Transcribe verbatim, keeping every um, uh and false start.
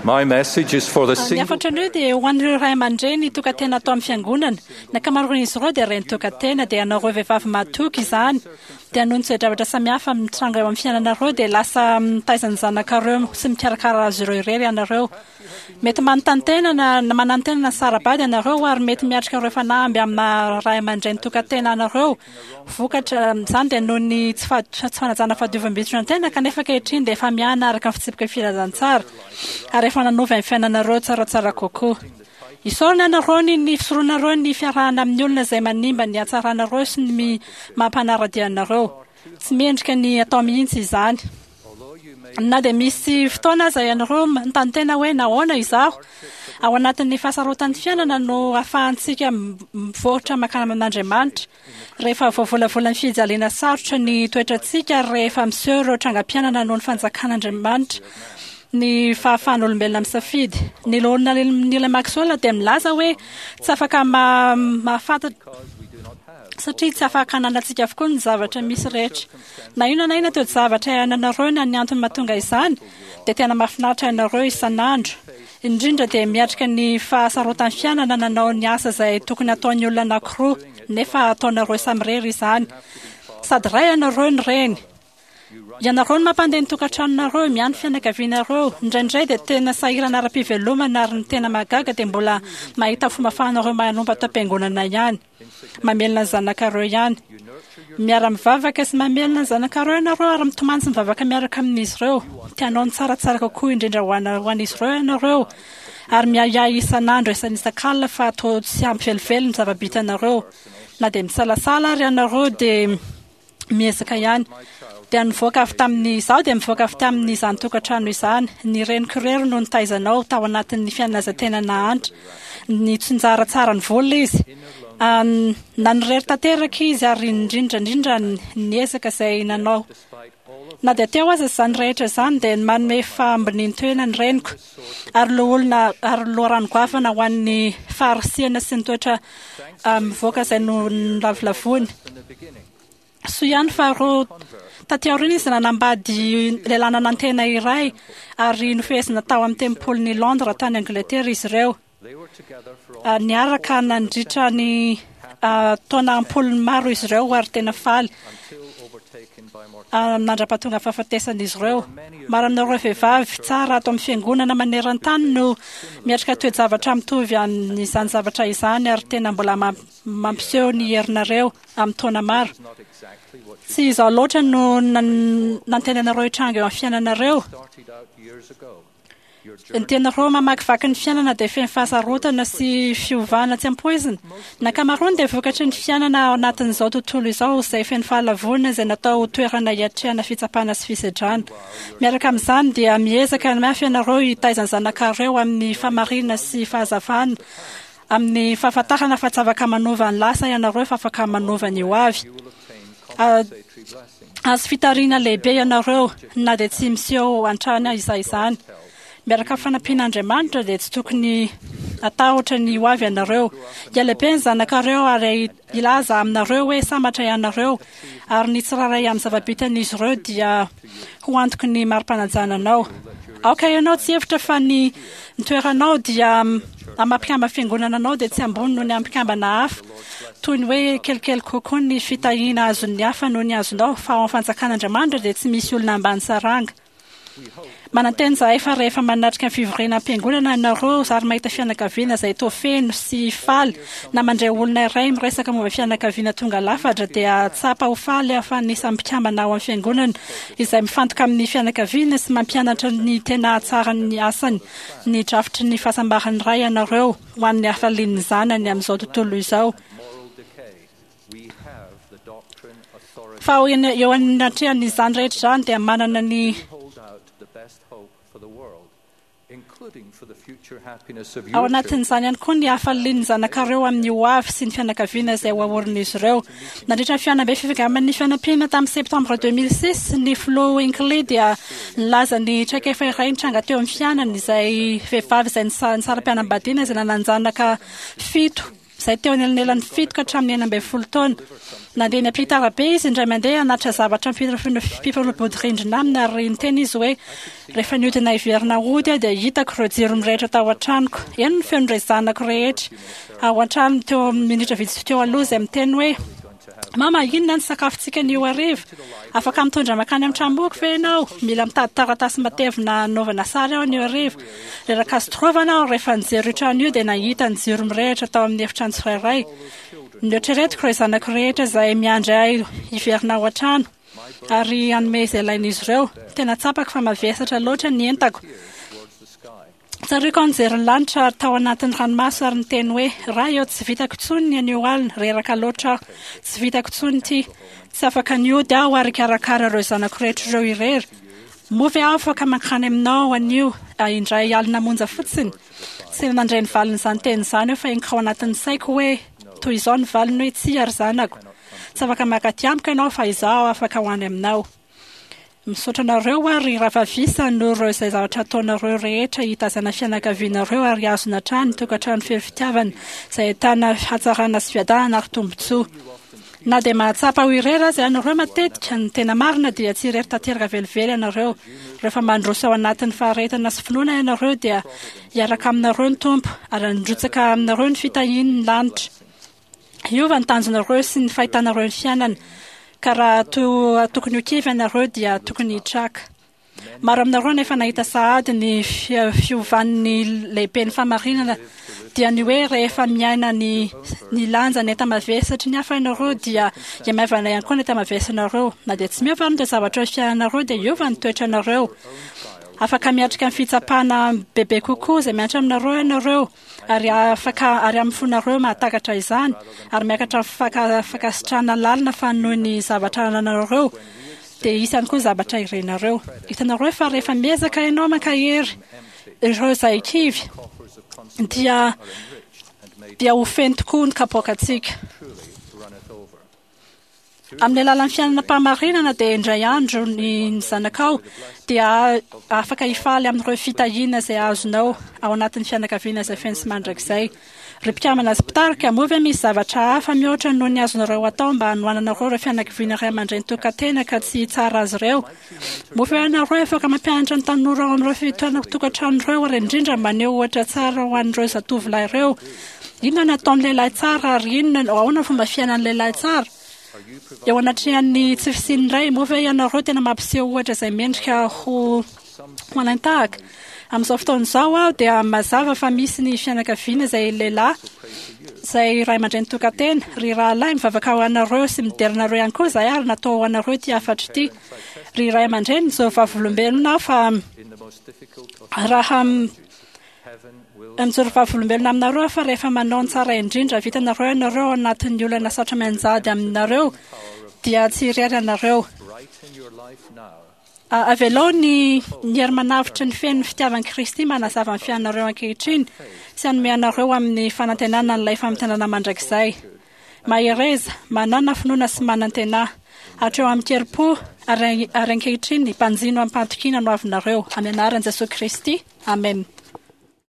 My message is for the Ny single hafatra anio dia ho an'ireo ray aman-dreny tokan-tena atao amin'ny fiangonana. Ny ankamaroan'izy ireo dia reny tokan-tena, dia ianareo vehivavy mahatoky izany. Dia noho ny toe-javatra samihafa mitranga eo amin'ny fiainanareo dia lasa mitaiza ny zanakareo sy mikarakara azy ireo irery ianareo. Mety manontany tena na na manantena na sara-bady ianareo ary mety miatrika ireo fanamby amin'ny ray aman-dreny tokan-tena anareo. Vokatra izany dia noho ny tsy fa- tsy fanajana fahadiovam-bitron-tena kanefa ankehitriny dia efa miana araka ny fitsipika filazantsara ary efa nanova ny fiainanareo tsaratsara kokoa. Isaorana ianareo ny ny fisoronareo ny fiarahana amin'ny olona izay manimba ny hatsaranareo sy ny mi- mampanara-dia anareo. Tsy mendrika ny atao mihitsy izany. Na dia misy fotoana aza ianareo manontany tena hoe nahoana izaho ao anatin'ny fahasarotan'ny fiainana no ahafahantsika m- mivoatra mankany amin'Andriamanitra. Rehefa voavolavolan'ny fijaliana sarotra ny toetrantsika ary rehefa miseho ireo trangam-piainana noho ny fanjakan'Andriamanitra ny fahafahan'olombelona misafidy. Ny loholona Neil Maxwell dia milaza hoe tsy afaka ma- mahafantatra satria tsy afaka ananantsika avokoa ny zavatra misy rehetra. Na inona na inona toe-javatra iainanareo na ny antony mahatonga izany dia tena mahafinaritra ianareo isan'andro. Indrindra dia miatrika ny fahasarotan'ny fiainana nanao ny asa izay tokony hataon'ny olona anankiroa nefa ataonareo samirery izany. Sady ray ianareo ny reny. Ianareo no mampandeha ny tokantranonareo, miahy ny fianakavianareo. Indraindray dia tena sahirana ara-pivelomana ary ny tena mahagaga dia mbola mahita fomba ahafahanareo manompo ato am-piangonana ihany. Mamelona ny zanakareo ihany. Miara-mivavaka sy mamelona ny zanakareo ianareo ary mitomany sy mivavaka miaraka amin'izy ireo. Tianao ny tsaratsara kokoa indrindra ho ana- ho an'izy ireo ianareo. Ary miahiahy isan'andro isan'isakalina fa toa tsy ampy velively ny zava-bitanareo. Na dia misalasala ary ianareo dia miezaka ihany. Dia nivoaka avy tamin'ny izaho dia mivoaka avy tamin'izany tokantrano izany. Ny reniko irery no nitaizanao tao anatin'ny fiainana izay tena nahantra. Nitsinjara tsara ny vola izy. Um, nanirery tanteraka izy ary indrindra indrindra niezaka izay nanao. Na dia teo aza izany rehetra izany dia manome fahambonian-toena ny reniko ary loholona ary loharano goavana ho an'ny faharisihana sy ny toetra um, mivoaka izay no nolavolavoiny. Soa ihany fa roa taty aoriana izy nanambady lehilahy nanantena iray ary nofehezina tao amin'ny tempolin'i Londres tany Angleterre izy ireo. Ah, Niaraka nandritra ny ah, taona ampolony maro izy ireo ary tena faly ah, mandra-pahatonga fahafatesan'izy ireo. Maro aminareo vehivavy tsara ato amin'ny fiangonana maneran-tany no miatrika toe-javatra mitovy amin'izany zavatra izany ary tena mbola mam- mampiseho ny herinareo amin'ny taona maro. Tsy izao loatra no nan- nantenanareo hitranga eo amin'ny fiainanareo. Ny tianareo mamakivaky ny fiainana dia feno fahasarotana sy fiovana tsy ampoizina. Ny ankamaroany dia vokatry ny fiainana ao anatin'izao tontolo izao izay feno fahalavoana izay natao ho toerana hiatrehana fitsapana sy fisedrana. Miaraka amin'izany dia miezaka mafy ianareo hitaiza ny zanakareo amin'ny fahamarinana sy fahazavana amin'ny fahafantarana fa tsy afaka manova ny lasa ianareo fa afaka manova ny ho avy. Ah, Azo fitariana lehibe ianareo na dia tsy miseho an-trano izay izany. Miaraka amin'ny fanampian'Andriamanitra dia tsy tokony atahotra ny ho avy ianareo. Hialehibe ny zanakareo ary hilaza aminareo hoe sambatra ianareo ary ny tsirairay amin'ny zava-bitan'izy ireo dia ho antoky ny mari-panajana anao. Aoka ianao tsy hevitra fa ny ny toeranao dia mampikamba fiangonana anao dia tsy ambony noho ny ampikambana hafa. Toy ny hoe kelikely kokoa ny fitahiana azon'ny hafa noho ny azonao fa ao amin'ny fanjakan'Andriamanitra dia tsy misy olona ambany saranga. Manantena izahay fa rehefa manatrika ny fivoriana am-piangonana ianareo ary mahita fianakaviana izay toa feno sy faly na mandray olona iray miresaka momba fianakaviana tonga lafatra dia tsapa ho faly fa anisan'ny mpikambana ao amin'ny fiangonana izay mifantoka amin'ny fianakaviana sy mampianatra ny tena hatsaran'ny asany ny drafitry ny fahasambaran'ny ray ianareo ho an'ny hafalian'ny zanany amin'izao tontolo izao. Fa ao eny- eo anatrehan'izany rehetra izany dia manana ny ao anatin'izany ihany koa ny hafalian'ny zanakareo amin'ny ho avy sy ny fianakaviana izay ho aorin'izy ireo. Nandritra ny fihaonambe fifidianana fianampiana tamin'ny septembre deux mille six, ny filoha Hinckley dia nilaza ny traikefa iray nitranga teo amin'ny fiainany izay vehivavy izay nisa- nisara-pianambadiana izay nanan-janaka fito izay teo anelanelan'ny fito ka hatramin'ny enina ambin'ny folo taona. Nandeha niampita arabe izy indray mandeha hanatitra zavatra mpifanolo-bodirindrina aminy, ary niteny izy hoe rehefa nihodina hiverina hody aho dia hitako ireo jiro mirehitra tao an-tranoko. Eny ny feon'ireo zanako rehetra ao an-trano teo amin'ny minitra vitsy teo aloha izay miteny hoe Mama, inona ny sakafontsika anio hariva? Afaka mitondra mankany amin'ny tranomboky ve ianao? Mila mitady taratasy matevina hanaovana sary aho anio hariva. Reraka azo torovana aho rehefa nijery io trano io dia nahita ny jiro mirehitra tao amin'ny efitrano tsirairay. Noeritreretiko ireo zanako rehetra izay miandry ahy hiverina ao an-trano ary hanome izay ilain'izy ireo. Tena tsapako fa mavesatra loatra ny entako. Tsaroako aho nijery ny lanitra ary tao anatin'ny ranomaso ary niteny hoe Ray eo, tsy vitako intsony ny anio alina, reraka loatra aho. Tsy vitako intsony ity. Tsy afaka nihody aho ary hikarakara ireo zanako rehetra ireo irery. Moa ve aho afaka mankany aminao anio indray alina monja fotsiny? Tsy nandre ny valin'izany teny izany aho fa henoko ao anatin'ny saiko hoe toy izao ny valiny hoe tsia ry zanako. Tsy afaka mankaty amiko ianao fa izaho afaka ho any aminao. Misaotra anareo aho ry rahavavisa noho ireo izay zavatra ataonareo rehetra hitazana fianakavianareo ary hazona hatrany tokantrano feno fitiavana izay ahitana hatsarana sy fiadanana ary tombontsoa. Na dia mahatsapa ho irery aza ianareo matetika, ny tena marina dia tsy irery tanteraka velively ianareo. Rehefa mandroso ao anatin'ny faharetana sy finoana ianareo dia hiaraka aminareo ny Tompo ary handrotsaka aminareo ny fitahiany ny lanitra. Hiova ny tanjonareo sy ny fahitanareo ny fiainana, ka raha toa tokony ho kivy ianareo dia tokony hitraka. Maro aminareo no efa nahita sahady ny fiovan'ny lehiben'ny fahamarinana, dia ny hoe rehefa miaina ny ny lanja ny enta-mavesatry ny hafa ianareo dia hiamaivana ihany koa ny enta-mavesanareo. Na dia tsy miova ary ny zavatra eo amin'ny fiainanareo dia hiova ny toetranareo. Afaka miatrika ny fitsapana bebe kokoa izay mihatra aminareo ianareo, ary afaka ary amin'ny fonareo mahatakatra izany, ary miakatra amin'ny fankasitrahana lalina fa noho ny zavatra anananareo dia hisy ihany koa ny zavatra irinareo. Hitanareo fa rehefa miezaka ianao mankahery ireo izay kivy dia dia ho feno tokoa ny kapoakantsika. Amin'ny alalan'ny fiainana am-pahamarinana dia indray andro ny zanakao dia afaka hifaly amin'ireo fitahiana izay azonao ao anatin'ny fianakaviana izay feno sy mandrakizay. Ry mpikambana sy mpitarika, moa ve misy zavatra hafa mihoatra noho ny azonareo atao mba hanohananareo ireo fianakaviana ray aman-dreny tokan-tena ka tsy hitsara azy ireo? Moa ve ianareo afaka mampianatra ny tanora ao amin'ireo fitoerana tokantrano ireo ary indrindra maneho ohatra tsara ho an'ireo zatovolahy ireo? Inona no ataon'ny lehilahy tsara ary inona ahoana ny fomba fiainan'ny lehilahy tsara? Eo anatrehan'ny tsy fisian'ny ray, moa ve ianareo tena mampiseho ohatra izay mendrika ho ho alain-tahaka? Amin'izao fotoana izao aho dia mazava fa misy ny fianakaviana izay lehilahy izay ray aman-dreny tokan-tena. Ry rahalahy, mivavaka ho anareo sy midera anareo ihany koa izahay ary natao ho anareo ity hafatra ity. Ry ray aman-dreny, mijoro vavolombelona aho fa raha Mijoro vavolombelona aminareo aho fa rehefa manao ny tsara indrindra vitanareo ianareo ao anatin'ny olana sarotra mianjady aminareo dia tsy irery ianareo. Avelao ny ny hery manavotra ny feno ny fitiavan'i Kristy manazava ny fiainanareo ankehitriny sy hanome anareo amin'ny fanantenana an'ilay famintinana mandrakizay. Mahereza, manàna finoana sy manantenà. Hatreo amin-kerim-po ary ary ankehitriny, banjino amim-pahatokiana no avinareo. Amin'ny anaran'i Jesoa Kristy. Amen.